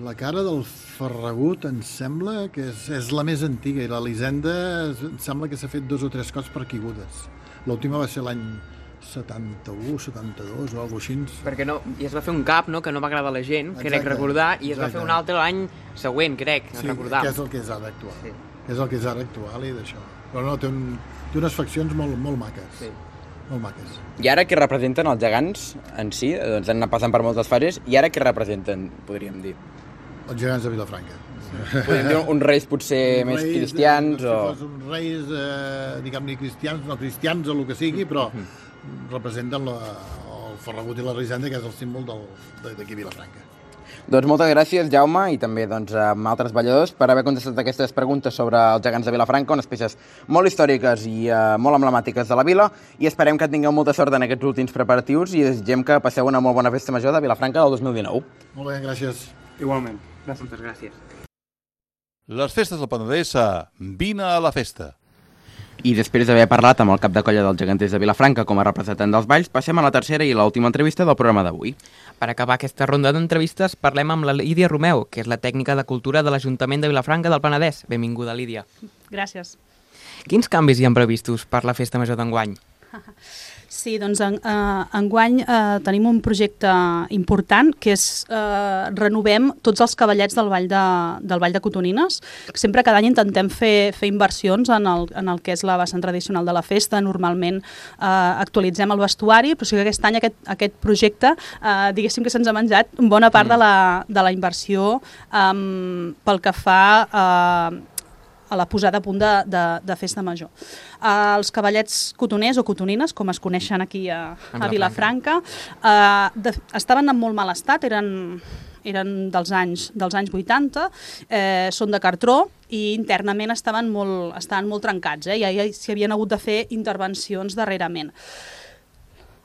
La cara del Ferragut em sembla que és la més antiga, i l'Elisenda em sembla que s'ha fet 2 o 3 cops per caigudes. L'última va ser l'any 71, 72 o alguna cosa així. Perquè no, i es va fer un cap, no?, que no va agradar a la gent, crec recordar, i es va fer un altre l'any següent, crec, recordar. Sí, que és el que és ara actual. Sí. És el que és ara actual i d'això. Però no, té unes faccions molt maques. Sí. Molt maques. I ara què representen els gegants en si? Doncs han anat passant per moltes fases, i ara què representen, podríem dir? Els gegants de Vilafranca. Podríem dir uns reis potser més cristians o... Uns reis, diguem-ne, cristians, no cristians o el que sigui, però representen el Ferragut i l'Elisenda, que és el símbol d'aquí a Vilafranca. Doncs moltes gràcies, Jaume, i també doncs, a altres balladors per haver contestat aquestes preguntes sobre els gegants de Vilafranca, unes peces molt històriques i molt emblemàtiques de la vila, i esperem que tingueu molta sort en aquests últims preparatius i desitgem que passeu una molt bona Festa Major de Vilafranca del 2019. Molt bé, gràcies. Igualment. Moltes gràcies. Les festes del Penedès a Vine a la Festa. I després d'haver parlat amb el cap de colla dels geganters de Vilafranca com a representant dels Valls, passem a la tercera i l'última entrevista del programa d'avui. Per acabar aquesta ronda d'entrevistes, parlem amb la Lídia Romeu, que és la tècnica de cultura de l'Ajuntament de Vilafranca del Penedès. Benvinguda, Lídia. Gràcies. Quins canvis hi han previstos per la Festa Major d'enguany? Sí, doncs enguany tenim un projecte important, que és renovem tots els cavallets del Vall de Cotonines. Sempre cada any intentem fer inversions en el que és la vessant tradicional de la festa. Normalment actualitzem el vestuari, però sí que aquest any aquest projecte, diguéssim que se'ns ha menjat bona part de la inversió pel que fa a la posada a punt de festa major. Els cavallets cotoners o cotonines, com es coneixen aquí a Vilafranca, estaven en molt mal estat, eren dels anys 80, són de cartró i internament estaven molt trencats, ja s'hi havien hagut de fer intervencions darrerament.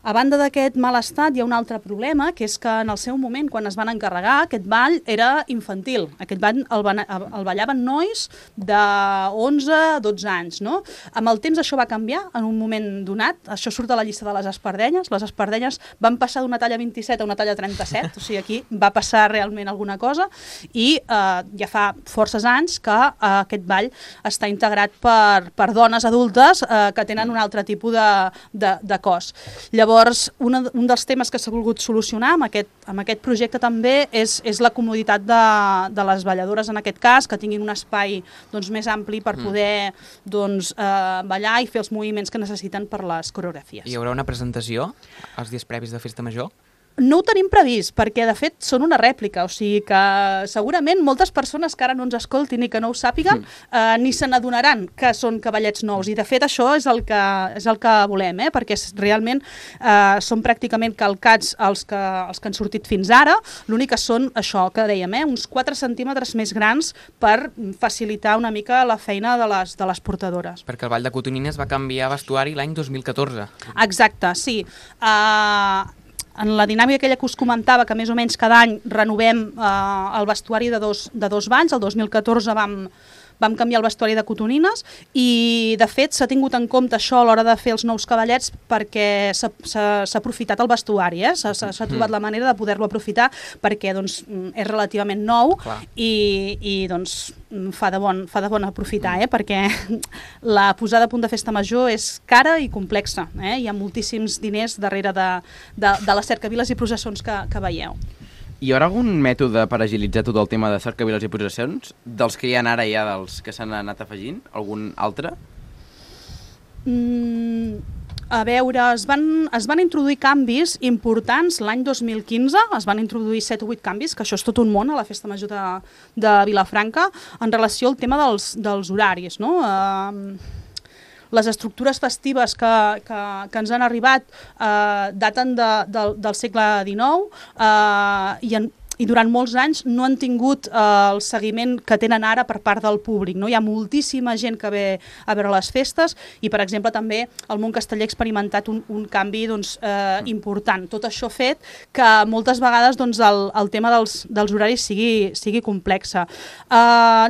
A banda d'aquest mal estat, hi ha un altre problema, que és que en el seu moment, quan es van encarregar, aquest ball era infantil. Aquest ball el ballaven nois de 11-12 anys. No? Amb el temps això va canviar en un moment donat. Això surt a la llista de les espardenyes. Les espardenyes van passar d'una talla 27 a una talla 37, o sigui, aquí va passar realment alguna cosa, i ja fa forces anys que aquest ball està integrat per dones adultes que tenen un altre tipus de cos. Llavors, un dels temes que s'ha volgut solucionar amb aquest projecte també és la comoditat de les balladores, en aquest cas, que tinguin un espai més ampli per poder ballar i fer els moviments que necessiten per les coreografies. Hi haurà una presentació els dies previs de Festa Major? No ho tenim previst, perquè de fet són una rèplica, o sigui que segurament moltes persones que ara no ens escoltin i que no ho sàpiguen ni se n'adonaran que són cavallets nous, i de fet això és el que volem, perquè realment són pràcticament calcats els que han sortit fins ara, l'únic que són això que dèiem, uns 4 centímetres més grans per facilitar una mica la feina de les portadores. Perquè el Ball de Cotonines va canviar vestuari l'any 2014. Exacte, sí. En la dinàmica aquella que us comentava, que més o menys cada any renovem el vestuari de dos balls, el 2014 vam canviar el vestuari de cotonines i, de fet, s'ha tingut en compte això a l'hora de fer els nous cavallets perquè s'ha aprofitat el vestuari, s'ha trobat la manera de poder-lo aprofitar perquè és relativament nou i fa de bon aprofitar, perquè la posada a punt de Festa Major és cara i complexa, hi ha moltíssims diners darrere de les cercaviles i processons que veieu. Hi haurà algun mètode per agilitzar tot el tema de cercaviles i processons? Dels que hi ha ara, dels que s'han anat afegint? Algun altre? A veure, es van introduir canvis importants l'any 2015, es van introduir 7 o 8 canvis, que això és tot un món a la Festa Major de Vilafranca, en relació al tema dels horaris, no? Les estructures festives que ens han arribat daten del segle XIX i durant molts anys no han tingut el seguiment que tenen ara per part del públic. Hi ha moltíssima gent que ve a veure les festes i, per exemple, també el món casteller ha experimentat un canvi important. Tot això ha fet que moltes vegades el tema dels horaris sigui complexa.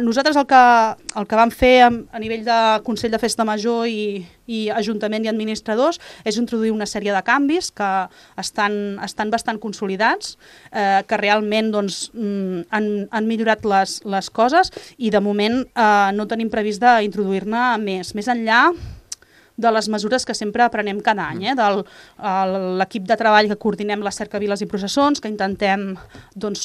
Nosaltres el que vam fer a nivell de Consell de Festa Major i Ajuntament i administradors és introduir una sèrie de canvis que estan bastant consolidats, que realment han millorat les coses i de moment no tenim previst d'introduir-ne més enllà de les mesures que sempre aprenem cada any, de l'equip de treball que coordinem les cercaviles i processons, que intentem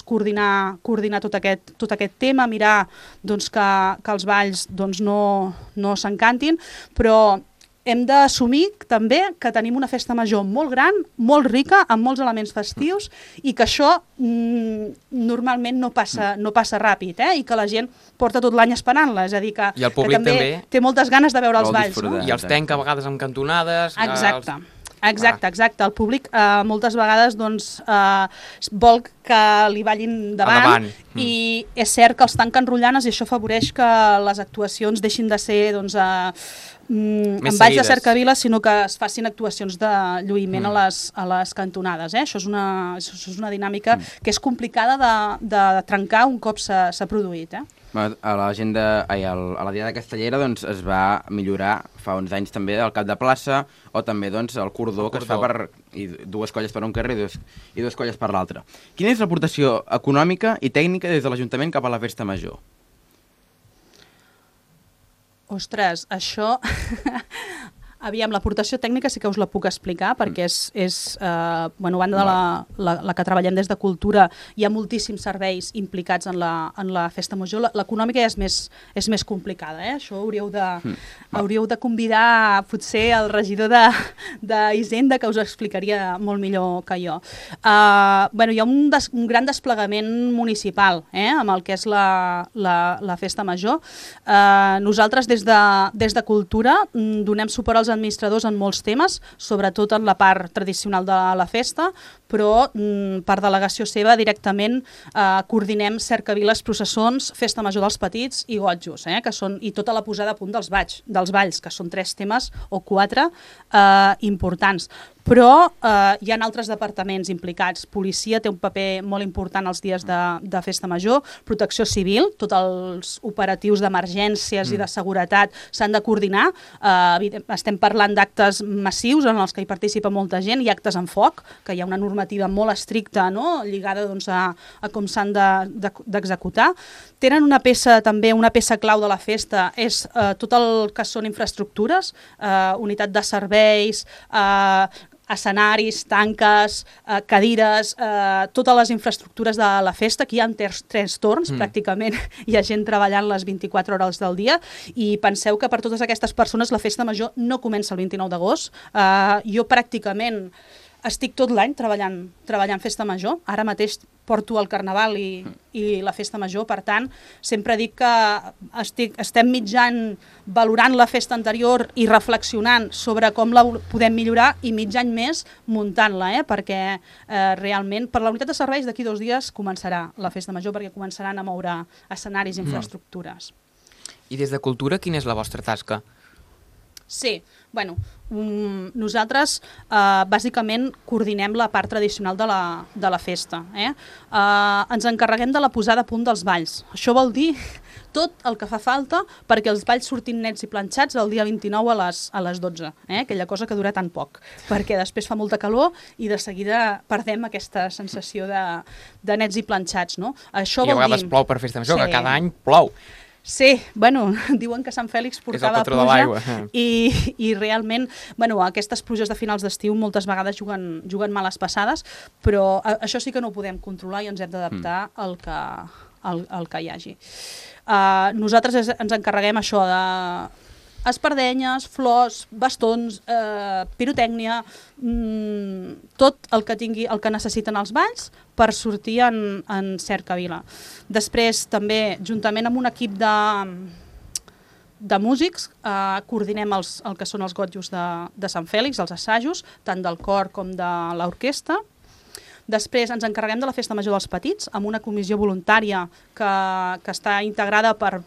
coordinar tot aquest tema, mirar que els balls no s'encantin, però hem d'assumir també que tenim una festa major molt gran, molt rica, amb molts elements festius i que això normalment no passa ràpid, i que la gent porta tot l'any esperant-la, és a dir, que també té moltes ganes de veure els balls. I els tanca a vegades amb cantonades. Exacte. El públic moltes vegades vol que li ballin davant i és cert que els tanquen rotllanes i això afavoreix que les actuacions deixin de ser amb balls de cercavila, sinó que es facin actuacions de lluïment a les cantonades. Això és una dinàmica que és complicada de trencar un cop s'ha produït. A la Diada Castellera es va millorar fa uns anys també el cap de plaça o també el cordó que es fa per 2 colles per un carrer i 2 colles per l'altre. Quina és l'aportació econòmica i tècnica des de l'Ajuntament cap a la Festa Major? Ostres, això Aviam, l'aportació tècnica sí que us la puc explicar, perquè a banda de la que treballem des de Cultura, hi ha moltíssims serveis implicats en la Festa Major. L'econòmica ja és més complicada, Això hauríeu de convidar potser el regidor d'Hisenda, que us explicaria molt millor que jo. Hi ha un gran desplegament municipal amb el que és la Festa Major. Nosaltres des de Cultura donem suport als administradors en molts temes, sobretot en la part tradicional de la festa, però per delegació seva directament coordinem cercaviles, processons, Festa Major dels Petits i Gotjos, i tota la posada a punt dels balls, que són 3 temes o 4 importants. Però hi ha altres departaments implicats. Policia té un paper molt important els dies de Festa Major, Protecció Civil, tots els operatius d'emergències i de seguretat s'han de coordinar. Estem parlant d'actes massius en els que hi participa molta gent, i actes en foc, que hi ha una normativa molt estricta, lligada a com s'han d'executar. Tenen una peça clau de la festa, és tot el que són infraestructures, unitat de serveis, escenaris, tanques, cadires, totes les infraestructures de la festa. Aquí hi ha 3 torns, pràcticament hi ha gent treballant les 24 hores del dia, i penseu que per totes aquestes persones la Festa Major no comença el 29 d'agost. Jo pràcticament estic tot l'any treballant Festa Major. Ara mateix porto el Carnaval i la Festa Major, per tant, sempre dic que estem mitjan valorant la festa anterior i reflexionant sobre com la podem millorar, i mig any més muntant-la, perquè realment per la unitat de serveis d'aquí 2 dies començarà la Festa Major, perquè començaran a moure escenaris i infraestructures. I des de Cultura, quina és la vostra tasca? Sí, nosaltres bàsicament coordinem la part tradicional de la festa. Ens encarreguem de la posada a punt dels balls. Això vol dir tot el que fa falta perquè els balls surtin nets i planxats el dia 29 a les 12, aquella cosa que dura tan poc, perquè després fa molta calor i de seguida perdem aquesta sensació de nets i planxats. Això I a vegades plou per Festa Major, que cada any plou. Sí, diuen que Sant Fèlix portava pluja i realment aquestes pluges de finals d'estiu moltes vegades juguen males passades, però això sí que no ho podem controlar i ens hem d'adaptar al que hi hagi. Nosaltres ens encarreguem això de espardenyes, flors, bastons, pirotècnia, tot el que necessiten els balls per sortir en cercavila. Després també, juntament amb un equip de músics, coordinem el que són els gotjos de Sant Fèlix, els assajos, tant del cor com de l'orquestra. Després ens encarreguem de la Festa Major dels Petits, amb una comissió voluntària que està integrada per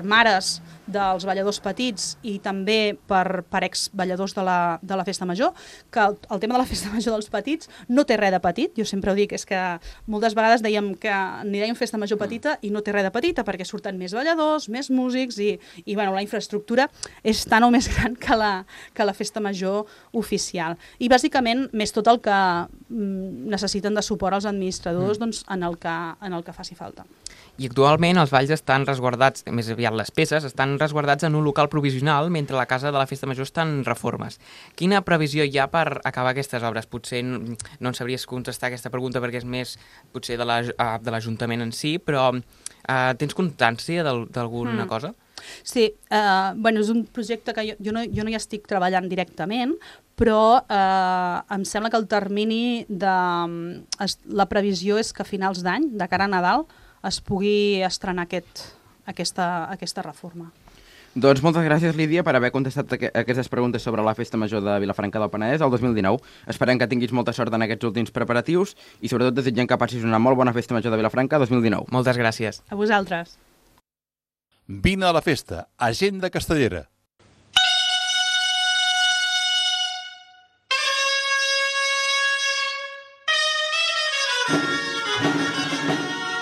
mares dels balladors petits i també per exballadors de la Festa Major, que el tema de la Festa Major dels petits no té res de petit. Jo sempre ho dic, és que moltes vegades dèiem que n'hi dèiem Festa Major petita i no té res de petita, perquè surten més balladors, més músics i la infraestructura és tan o més gran que la Festa Major oficial. I bàsicament més tot el que necessiten de suport als administradors en el que faci falta. I actualment els balls estan resguardats, més aviat les peces, estan resguardats en un local provisional mentre la casa de la Festa Major està en reformes. Quina previsió hi ha per acabar aquestes obres? Potser no en sabries contestar aquesta pregunta perquè és més potser de l'Ajuntament en si, però tens constància d'alguna cosa? Sí, és un projecte que jo no hi estic treballant directament, però em sembla que el termini la previsió és que a finals d'any, de cara a Nadal, es pugui estrenar aquesta reforma. Doncs moltes gràcies, Lídia, per haver contestat aquestes preguntes sobre la Festa Major de Vilafranca del Penedès el 2019. Esperem que tinguis molta sort en aquests últims preparatius i sobretot desitgem que passis una molt bona Festa Major de Vilafranca 2019. Moltes gràcies. A vosaltres. Vine a la festa, Agenda Castellera.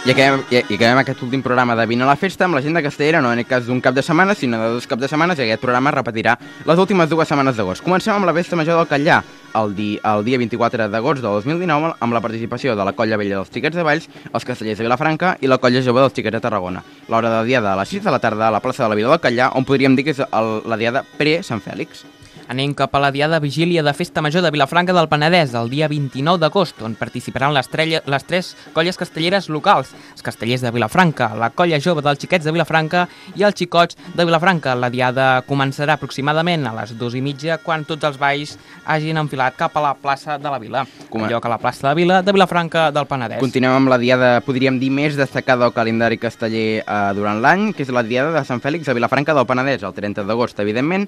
I acabem aquest últim programa de Vine a la festa amb l'agenda castellera, no en el cas d'un cap de setmana, sinó de 2 caps de setmana, i aquest programa repetirà les últimes 2 setmanes d'agost. Comencem amb la Festa Major del Catllà, el dia 24 d'agost del 2019, amb la participació de la Colla Vella dels Xiquets de Valls, els Castellers de Vilafranca i la Colla Jove dels Xiquets de Tarragona. L'hora de diada a les 6 de la tarda a la plaça de la Vila del Catllà, on podríem dir que és la diada pre-Sant Fèlix. Anem cap a la diada vigília de Festa Major de Vilafranca del Penedès, el dia 29 d'agost, on participaran les tres colles castelleres locals, els castellers de Vilafranca, la colla jove dels xiquets de Vilafranca i els xicots de Vilafranca. La diada començarà aproximadament a les 2:30, quan tots els balls hagin enfilat cap a la plaça de la Vila, en lloc a la plaça de la Vila de Vilafranca del Penedès. Continuem amb la diada, podríem dir, més destacada del calendari casteller durant l'any, que és la diada de Sant Fèlix a Vilafranca del Penedès, el 30 d'agost, evidentment,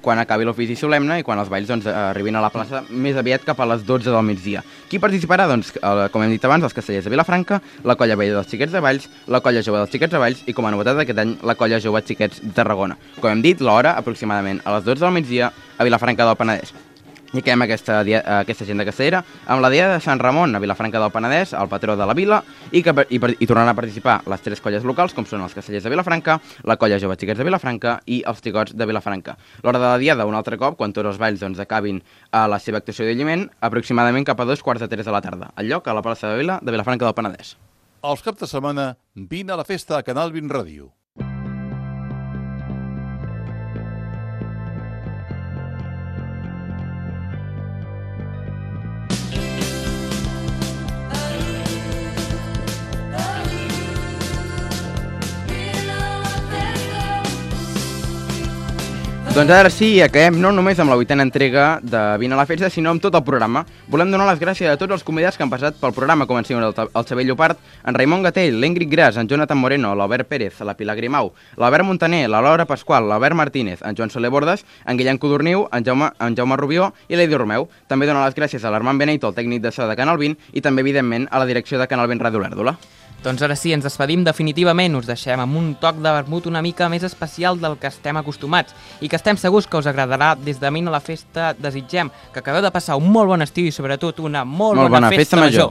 quan acabi l'ofici solemne i quan els balls arribin a la plaça més aviat cap a les 12 del migdia. Qui participarà? Doncs, com hem dit abans, els castellers de Vilafranca, la colla vella dels xiquets de Valls, la colla jove dels xiquets de Valls i, com a novetat d'aquest any, la colla jove xiquets de Tarragona. Com hem dit, l'hora aproximadament a les 12 del migdia a Vilafranca del Penedès. I acabem aquesta agenda castellera amb la diada de Sant Ramon a Vilafranca del Penedès, el patró de la vila, i tornaran a participar les tres colles locals, com són els castellers de Vilafranca, la colla jove xiquets de Vilafranca i els xicots de Vilafranca. L'hora de la diada, un altre cop, quan tots els balls acabin a la seva actuació d'alliment, aproximadament cap a 2:45 de la tarda, al lloc a la plaça de Vila de Vilafranca del Penedès. Els caps de setmana, vine a la festa a Canal 20 Ràdio. Doncs ara sí, acabem no només amb la 8a entrega de Vine a la Festa, sinó amb tot el programa. Volem donar les gràcies a tots els convidats que han passat pel programa, com han sigut el Xavier Llopart, en Raimon Gatell, l'Engrid Gras, en Jonathan Moreno, l'Albert Pérez, la Pilar Grimau, l'Albert Montaner, la Laura Pasqual, l'Albert Martínez, en Joan Soler Bordes, en Guillem Codorniu, en Jaume Rubió i l'Eidi Romeu. També donar les gràcies a l'Armand Beneito, el tècnic de so de Canal 20, i també, evidentment, a la direcció de Canal 20 Ràdio Olèrdola. Doncs ara sí, ens despedim definitivament, us deixem amb un toc de vermut una mica més especial del que estem acostumats i que estem segurs que us agradarà. Des de Vine a la Festa desitgem que acabeu de passar un molt bon estiu i sobretot una molt bona festa major.